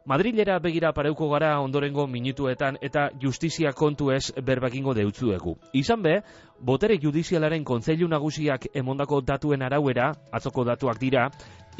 Madrilera begira pareuko gara ondorengo minutuetan eta justizia kontu ez berbakingo deutzuegu. Izan be, botere judizialaren kontseilu nagusiak emondako datuen arauera, atzoko datuak dira,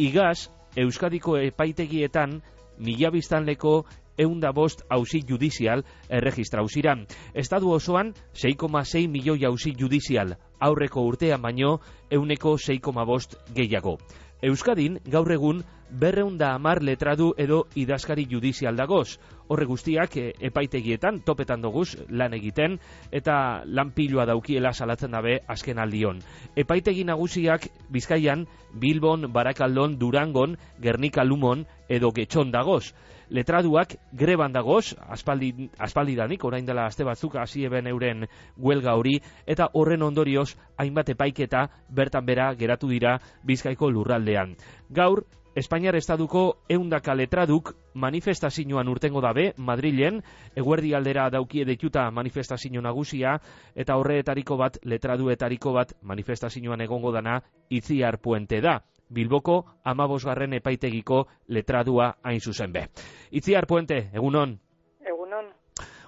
igaz Euskadiko epaitegietan 1000 biztanleko 105 auzi judizial erregistrau ziran. Estadu osoan 6,6 milioi auzi judizial, aurreko urtean baino 6,5 gehiago. Euskadin gaur egun 210 letradu edo idazkari judizial dagoz. Horre guztiak epaitegietan topetan doguz lan egiten eta lan pilua daukiela salatzen dabe azken aldion. Epaitegi nagusiak Bizkaian, Bilbon, Barakaldon, Durangon, Gernika Lumon edo Getxon dagoz. Letraduak greban dagoz, aspaldidanik, orain dela aste batzuk hasi eben euren huelga hori, eta horren ondorioz hainbat epaiketa bertan bera geratu dira Bizkaiko lurraldean. Gaur, Espainiar Estaduko 100 letraduk manifestazioan urtengo dabe, Madrilen, eguerdi aldera daukie deituta manifestazio nagusia, eta horreetariko bat, letraduetariko bat, manifestazioan egongo dana Itziar Puente da. Bilboko 15. epaitegiko letradua hain zuzen be. Itziar Puente, egunon? Egunon.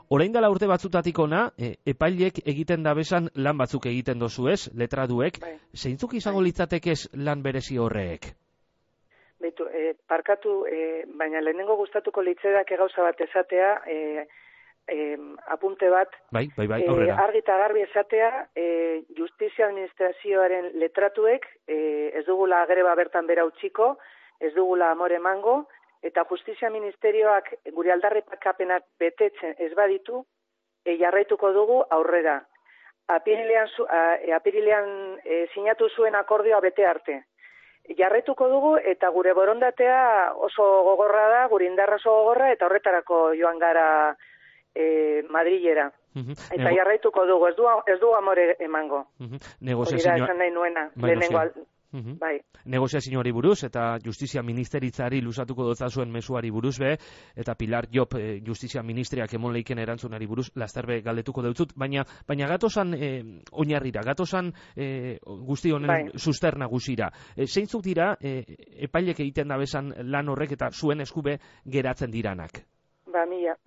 Orain dela urte batzutatik ona, epailek egiten dabesan lan batzuk egiten dozu ez, letraduek, Bai. Zeintzuk izango litzatekez lan berezi horreek? Beitu, parkatu, baina lehenengo gustatuko litzedak gauza bat esatea, apunte bat, Bai, aurrera. Argi eta garbi esatea, justizia administrazioaren letratuek ez dugula greba bertan bera utziko, ez dugula amore emango, eta justizia ministerioak gure aldarrikapenak betetzen ez baditu, jarraituko dugu aurrera. Apirilean sinatu zuen akordioa bete arte. Jarraituko dugu eta gure borondatea oso gogorra da, gure indarra oso gogorra, eta horretarako joan gara Madrilera. Eta jarraituko dugu, ez du amore emango. Hori da esan nahi nuena, lehenengo bai. Negoziazioari buruz eta justizia ministeritzari luzatuko dotzazuen mezuari buruz be, eta Pilar Job justizia ministriak emon leiken erantzunari buruz lasterbe galdetuko deutzut, baina gatozan oinarrira, gatozan guzti honen suster nagusira. Zeintzuk dira epailek egiten dabesan lan horrek eta zuen eskube geratzen diranak?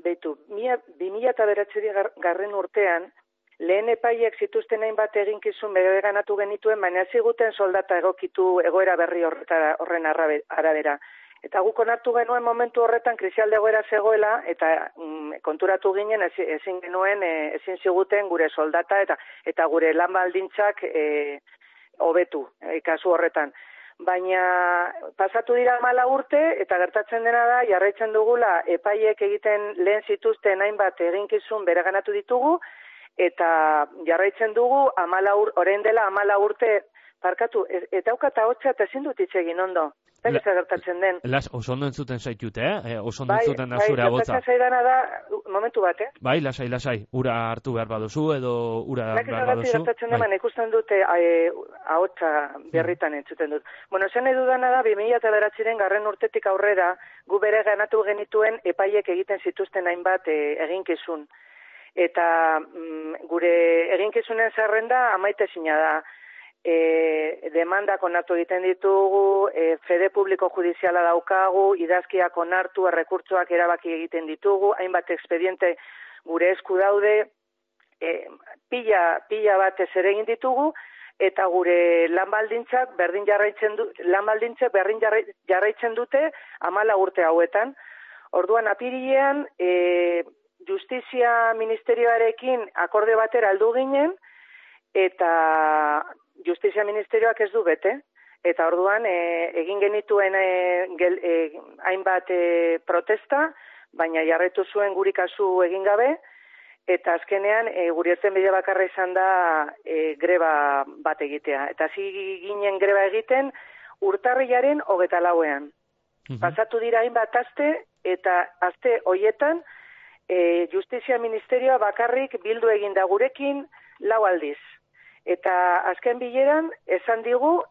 Beitu, 2009 urtean, lehen epaiek zituzten hainbat eginkizun bereganatu genituen, baina ziguten soldata egokitu egoera berri horren arabera. Eta guk onartu genuen momentu horretan krisialde egoera zegoela, eta konturatu ginen ezin ziguten gure soldata eta gure lan baldintzak hobetu kasu horretan. Baina pasatu dira 14 urte eta gertatzen dena da jarraitzen dugula epaiek egiten lehen zituzten hainbat eginkizun bereganatu ditugu eta jarraitzen dugu orain dela 14 urte parkatu eta aukata hotza eta ezin dut hitz egin ondo. Eta gertatzen den. Oso ondo entzuten zaitut, oso ondo entzuten da zure abotza. Bai, zaidana da, momentu bat, Bai, lasai, ura hartu behar baduzu edo ura behar baduzu. Gertatzen deman, ikusten dute ahotsa berritan entzuten dut. Bueno, zen nahi dudana da, 2009 garren urtetik aurrera, gu bere ganatu genituen epaiek egiten zituzten hainbat eginkizun. Eta gure eginkizunen zerrenda amaitezina da. Demandak onartu egiten ditugu, fede publiko judiziala daukagu, idazkiak onartu, errekurtsoak erabaki egiten ditugu, hainbat expediente gure esku daude, pila bat ez ere egin ditugu, eta gure lan baldintzak berdin jarraitzen dute 14 urte hauetan. Orduan apirilean Justizia Ministerioarekin akorde batera heldu ginen, eta Justizia Ministerioak ez du bete, eta orduan egin genituen hainbat protesta, baina jarraitu zuen guri kasu egin gabe, eta azkenean guri irtenbide bakarra izan da greba bat egitea. Eta hasi ginen greba egiten urtarrilaren 24ean. Pasatu dira hainbat aste, eta aste hoietan Justizia Ministerioa bakarrik bildu egin da gurekin 4 aldiz. Eta azken bileran, esan digu,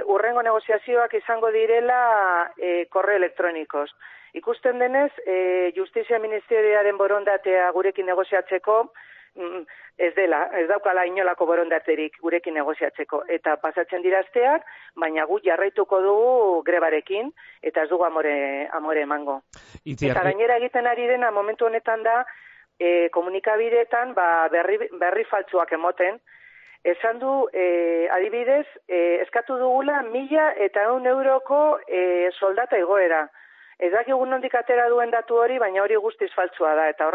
urrengo negoziazioak izango direla korreo elektronikoz. Ikusten denez, Justizia Ministerioaren borondatea gurekin negoziatzeko ez daukala inolako borondaterik gurekin negoziatzeko. Eta pasatzen dira asteak, baina gu jarraituko dugu grebarekin, eta ez dugu amore emango. Eta gainera egiten ari dena momentu honetan da, komunikabideetan berri faltsuak emoten. Esan du, adibidez, eskatu dugula 1.100 euroko soldata igoera. Ez dakigu nondik atera duen datu hori, baina hori guztiz faltsua da. Eta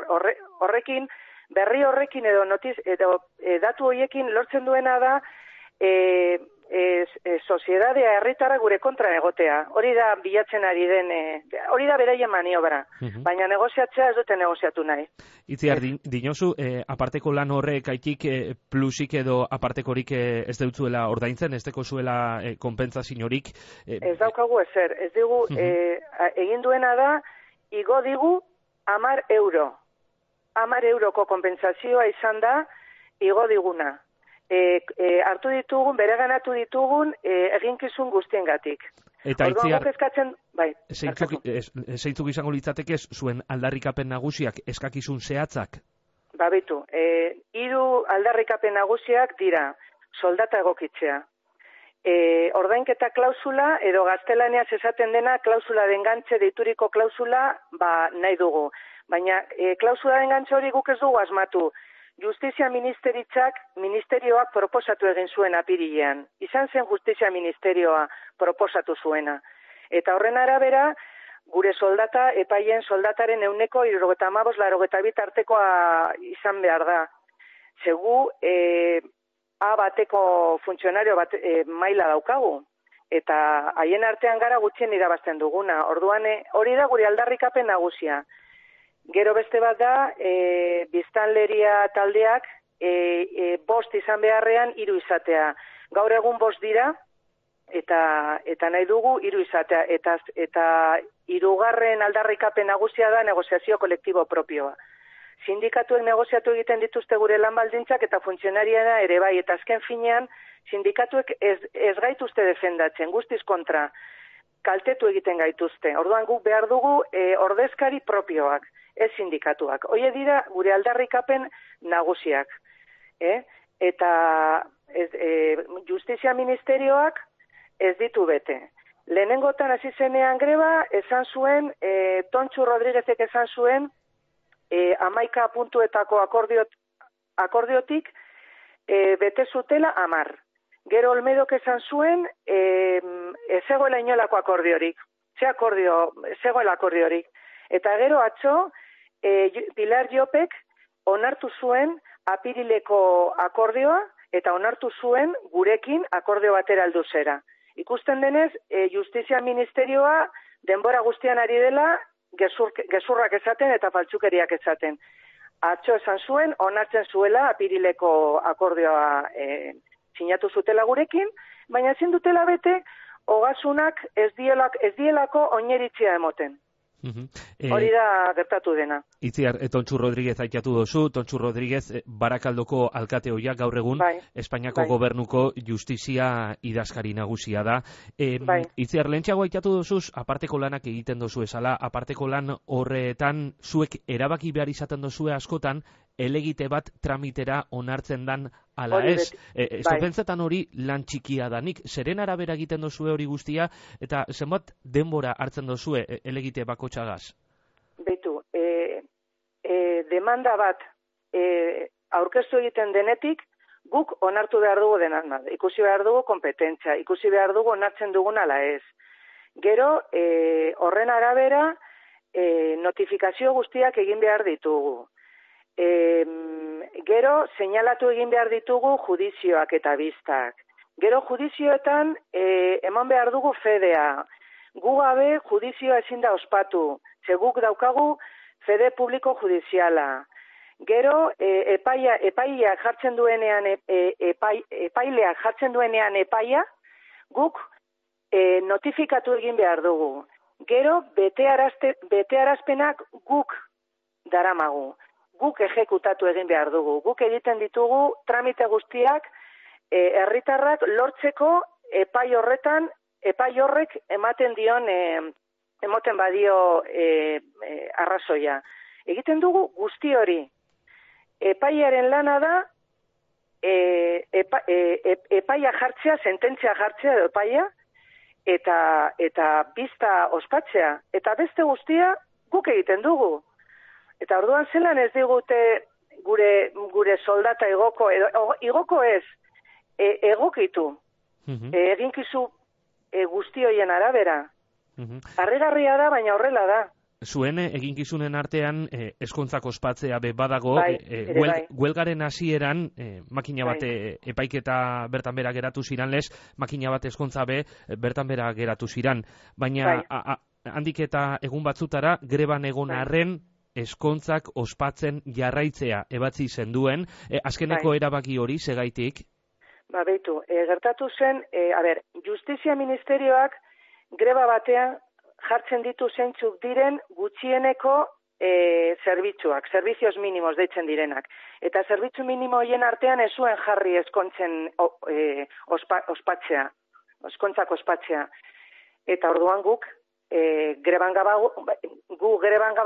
horrekin, berri horrekin edo datu horiekin lortzen duena da soziedadea herritarra gure kontra egotea. Hori da bilatzen ari den, hori da beraien maniobra. Baina negoziatzea ez dute negoziatu nahi. Itziar, dinozu, aparteko lan horrek aitik plusik edo apartekorik ez deutzuela ordaintzen, ez deko zuela konpentsaziorik? Ez daukagu ezer. Ez digu, egin duena da, igo digu 10 euro. 10 euroko konpentsazioa izan da, igo diguna. Hartu ditugun, bereganatu ditugun, eginkizun guztiengatik. Eta Itziar, bai, zeintzuk izango litzateke zuen aldarrikapen nagusiak eskakizun zehatzak? Babitu, 3 aldarrikapen nagusiak dira soldata egokitzea. Ordainketa klausula edo gaztelaniaz esaten dena klausula de engantxe deituriko klausula nahi dugu. Baina klausula de engantxe hori guk ez dugu asmatu. Justizia ministerioak proposatu egin zuen apirilean. Izan zen Justizia ministerioa proposatu zuena. Eta horren arabera, gure soldata, epaien soldataren 75-82 tartekoa izan behar da. Segu, A bateko funtzionario maila daukagu. Eta haien artean gara gutxien irabazten duguna. Orduan, hori da gure aldarrikapen nagusia. Gero beste bat da, biztanleria taldeak 5 izan beharrean 3 izatea. Gaur egun 5 dira, eta nahi dugu 3 izatea. Eta 3. aldarrikapen nagusia da negoziazio kolektibo propioa. Sindikatuek negoziatu egiten dituzte gure lan baldintzak eta funtzionariena ere bai. Eta azken finean, sindikatuek ez gaituzte defendatzen, guztiz kontra. Kaltetu egiten gaituzte. Orduan guk behar dugu ordezkari propioak. Ez sindikatuak. Hoie dira gure aldarrikapen nagusiak. Eta Justizia ministerioak ez ditu bete. Lehenengotan hasi zenean greba, esan zuen, Tontxu Rodriguezek esan zuen, 11 puntuetako akordiotik bete zutela 10. Gero Olmedok esan zuen, ez zegoela inolako akordiorik. Zegoela akordiorik. Eta gero atzo, Pilar Jopek onartu zuen apirileko akordioa eta onartu zuen gurekin akordio batera heldu zera. Ikusten denez, Justizia ministerioa denbora guztian ari dela gezurrak esaten eta faltsukeriak esaten. Atzo esan zuen, onartzen zuela apirileko akordioa sinatu zutela gurekin, baina ezin dutela bete, ogasunak ez dielako oineritzia emoten. Hori da gertatu dena. Itziar, Tontxu Rodriguez aitatu dozu. Tontxu Rodriguez Barakaldoko alkate hoiak gaur egun Espainiako gobernuko justizia idazkari nagusia da. Itziar, lehentxeago aitatu dozuz, aparteko lanak egiten dozu esala, aparteko lan horretan zuek erabaki behar izaten dozue askotan, elegite bat tramitera onartzen dan ala ez. Zopentzetan hori lan txikia danik. Zeren arabera egiten dozue hori guztia, eta zenbat denbora hartzen dozue elegite bakotxagaz? Beitu, demanda bat aurkeztu egiten denetik, guk onartu behar dugu denan. Ikusi behar dugu kompetentzia, ikusi behar dugu onartzen dugun ala ez. Gero, horren arabera, notifikazio guztiak egin behar ditugu. Gero, seinalatu egin behar ditugu judizioak eta biztak. Gero, judizioetan eman behar dugu fedea. Gu gabe judizioa ezin da ospatu. Ze guk daukagu fede publiko judiziala. Gero, epaileak jartzen duenean epaia, guk notifikatu egin behar dugu. Gero, betearazpenak guk daramagu. Guk ejekutatu egin behar dugu. Guk egiten ditugu tramite guztiak herritarrak lortzeko epai horrek ematen dion, emoten badio arrazoia. Egiten dugu guzti hori. epaiaren lana da epaia jartzea, sententzia jartzea edo epaia, eta bizta ospatzea. Eta beste guztia guk egiten dugu. Eta orduan zelan ez digute gure soldata igoko, igoko ez, egokitu, eginkizu guzti hoien arabera. Harrigarria da, baina horrela da. Zuen eginkizunen artean ezkontzak ospatzea badago, huelgaren hasieran makina bat epaiketa bertan bera geratu ziran lez, makina bat ezkontza bertan bera geratu ziran. Baina handik eta egun batzutara greban egon arren ezkontzak ospatzen jarraitzea ebatzi zenduen, azkeneko erabaki hori segaitik? Beitu, gertatu zen, Justizia Ministerioak greba batean jartzen ditu zeintzuk diren gutxieneko zerbitzuak, servizios minimos deitzen direnak. Eta zerbitzu minimo hoien artean ez zuen jarri ezkontzen ospatzea, ezkontzak ospatzea. Eta orduan guk greban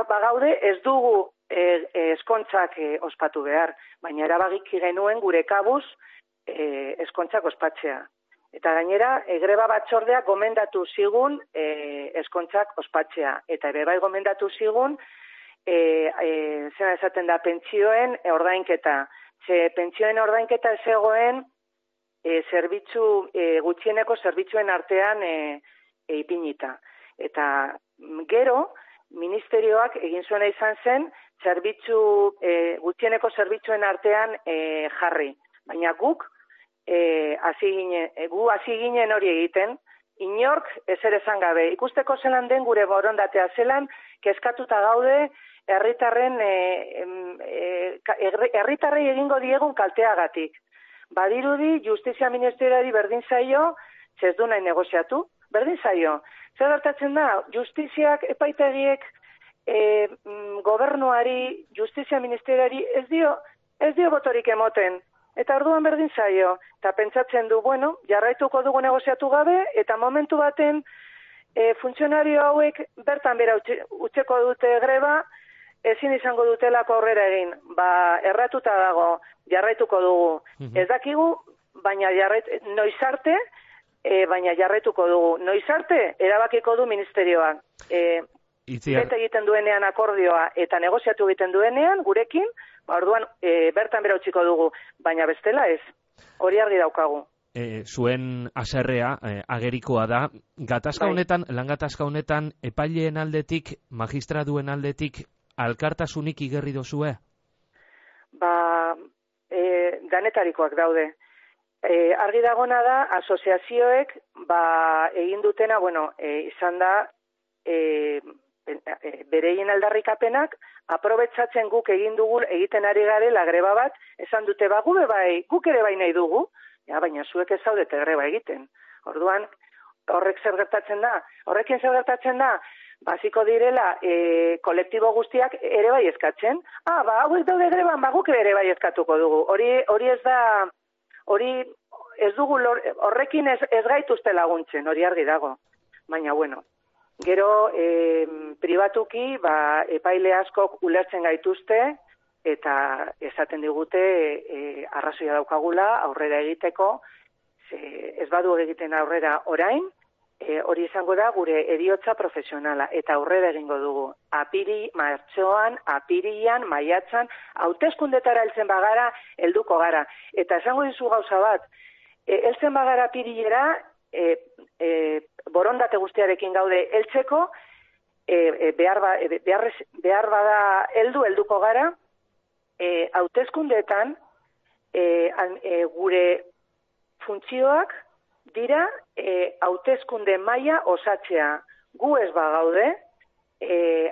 bagaude ez dugu ezkontzak ospatu behar, baina erabaki genuen gure kabuz ezkontzak ospatzea. Eta gainera, greba batzordeak gomendatu zigun ezkontzak ospatzea. Eta ere bai gomendatu zigun, zena esaten da, pentsioen ordainketa. Ze pentsioen ordainketa ez egoen gutxieneko zerbitzuen artean ipinita. Eta gero, ministerioak egin zuena izan zen, gutxieneko zerbitzuen artean jarri. Baina guk, hasi ginen hori egiten, inork ezer esan gabe. Ikusteko zelan den gure borondatea, zelan kezkatuta gaude herritarrei egingo diegun kalteagatik. Badirudi Justizia Ministerioari berdin zaio, ez du nahi negoziatu, berdin zaio. Zer gertatzen da, Justiziak, epaitegiek, gobernuari, Justizia Ministerioari ez dio botorik emoten. Eta orduan berdin zaio, eta pentsatzen du, jarraituko dugu negoziatu gabe, eta momentu baten funtzionario hauek bertan bera utzeko dute greba, ezin izango dutelako aurrera egin. Erratuta dago, jarraituko dugu. Ez dakigu, baina noiz arte, baina jarraituko dugu. Noiz arte, erabakiko du ministerioak. Bete egiten duenean akordioa eta negoziatu egiten duenean, gurekin, orduan bertan bera utziko dugu, baina bestela ez, hori argi daukagu. Zuen haserrea agerikoa da, lan gatazka honetan, epaileen aldetik, magistraduen aldetik, alkartasunik igerri dozue? Danetarikoak daude. Argi dagona da, asoziazioek egin dutena, izan da, bereien aldarrikapenak, aprobetsatzen guk egiten ari garela greba bat, esan dute guk ere bai nahi dugu, baina zuek ez zaudete greba egiten. Orduan, horrekin zer gertatzen da, basiko direla kolektibo guztiak ere bai eskatzen, hauek daude greban, guk ere bai eskatuko dugu. Hori ez da, ez dugu, horrekin ez gaituzte laguntzen, hori argi dago. Baina, gero, pribatuki, epaile askok ulertzen gaituzte, eta esaten digute arrazoia daukagula aurrera egiteko, ez badu egiten aurrera orain, hori izango da gure heriotza profesionala, eta aurrera egingo dugu. Martxoan, apirian, maiatzan, hauteskundetara heltzen bagara, helduko gara. Eta esango dizu gauza bat, heltzen bagara apirilera, borondate guztiarekin gaude heltzeko, behar bada helduko gara, hauteskundeetan gure funtzioak dira hauteskunde maila osatzea. Gu ez bagaude,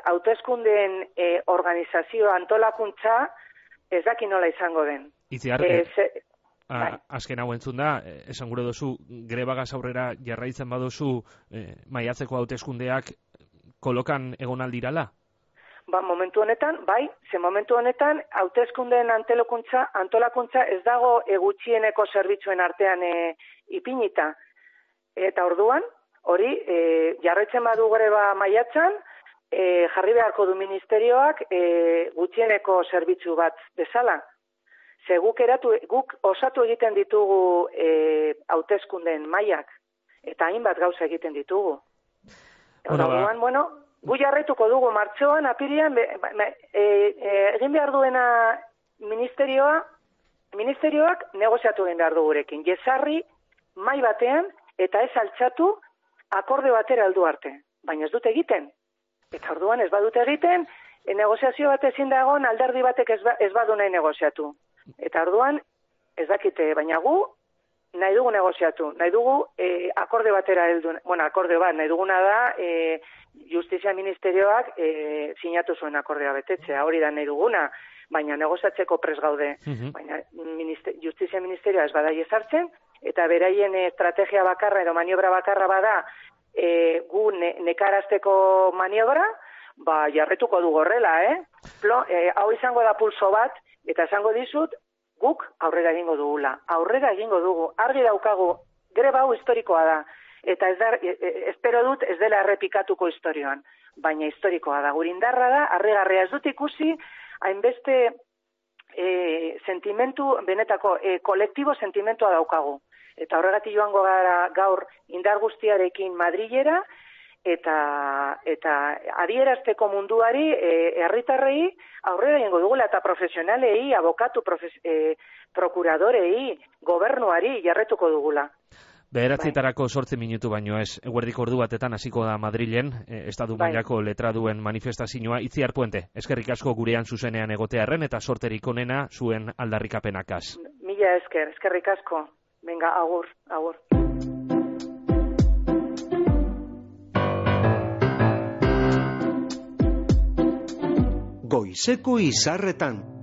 hauteskundeen organizazio antolakuntza ez daki nola izango den. Azken hau entzun da, esan gure dozu, grebagaz aurrera jarraitzen badozu maiatzeko hauteskundeak kolokan egon aldirala? Momentu honetan, momentu honetan hauteskundeen antolakuntza ez dago gutxieneko zerbitzuen artean ipinita. Eta orduan, hori, jarraitzen badu greba maiatzan, jarri beharko du ministerioak gutxieneko zerbitzu bat bezala. Ze guk osatu egiten ditugu hauteskundeen mailak, eta hainbat gauza egiten ditugu. Orduan, gu jarretuko dugu martxoan, apirian, egin behar duena ministerioak negoziatu egin behar du gurekin. Jezarri, mai batean, eta ez altxatu akorde batera heldu arte. Baina ez dute egiten. Eta orduan ez badute egiten, negoziazio bat ezin da egon, alderdi batek ez badu nahi negoziatu. Eta orduan, ez dakite, baina gu nahi dugu negoziatu, nahi dugu akorde batera heldu, akorde bat, nahi duguna da Justizia Ministerioak sinatu zuen akordea betetzea, hori da nahi duguna, baina negoziatzeko prest gaude. Baina Justizia Ministerioa ez bada jezartzen, eta beraien estrategia bakarra edo maniobra bakarra bada gu nekarazteko maniobra, jarretuko du horrela, hau izango da pulso bat, eta esango dizut, guk aurrera egingo dugula. Aurrera egingo dugu, argi daukagu, greba hau historikoa da. Eta espero dut ez dela errepikatuko historioan. Baina historikoa da. Gure indarra da, harrigarria ez dut ikusi, hainbeste sentimentu, benetako kolektibo sentimentua daukagu. Eta horregatik joango gara gaur indar guztiarekin Madrilera, eta adierazteko munduari, herritarrei aurrera egingo dugula, eta profesionalei, abokatu, prokuradorei, gobernuari jarretuko dugula. 9:00 8 minutu baino ez, eguerdiko ordu batetan hasiko da Madrilen, estatu mailako letraduen manifestazioa. Itziar Puente, eskerrik asko gurean zuzenean egotearren, eta sorterik onena zuen aldarrikapenakaz. Mila eskerrik asko. Venga, agur. Goizeko izarretan.